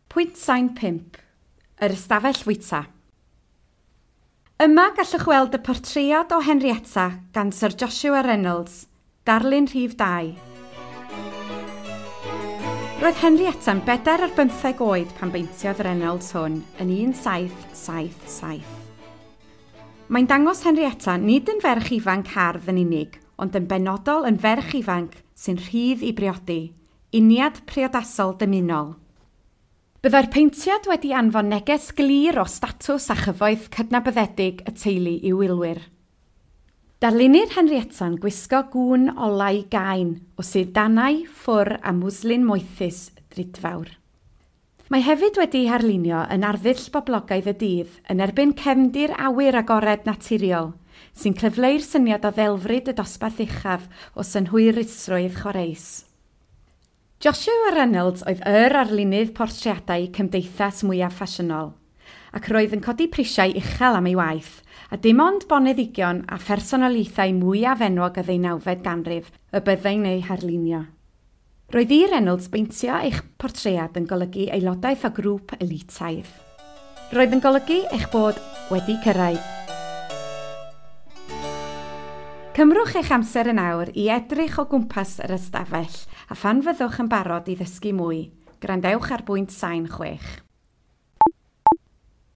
Pwynt sain 5. Yr ystafell fwyta. Yma gallwch weld y portread o Henrietta gan Sir Joshua Reynolds, darlun rhif 2. Roedd Henrietta'n 24 oed pan beintiodd Reynolds hwn yn 1777. Mae'n dangos Henrietta nid yn ferch ifanc hardd yn unig, ond yn benodol yn ferch ifanc sy'n rhydd i briodi, uniad priodasol dymunol. Byddai'r peintiad wedi anfon neges glir o statws a chyfoeth cydnabyddedig y teulu i'w wylwyr. Darlunir Henrietta'n gwisgo gŵn olau gain o sidanau, ffwr a mwslin moethus drudfawr. Mae hefyd wedi harlunio yn arddull boblogaidd y dydd yn erbyn cefndir awyr agored naturiol, sy'n cyfleu'r syniad o ddelfryd y dosbarth uchaf o synhwyrusrwydd chwareus. Joshua Reynolds oedd yr arlunydd portreadau cymdeithas mwyaf ffasiynol, ac roedd yn codi prisiau uchel am ei waith, a dim ond boneddigion a phersonoliaethau mwyaf enwog y ddeunawfed ganrif y byddai'n eu harlunio. Roedd i Reynolds beintio eich portread yn golygu aelodaeth o grŵp elitaidd. Roedd yn golygu eich bod wedi cyrraedd. Cymrwch eich amser yn awr i edrych o gwmpas yr ystafell a phan fyddwch yn barod i ddysgu mwy, gwrandewch ar bwynt sain 6.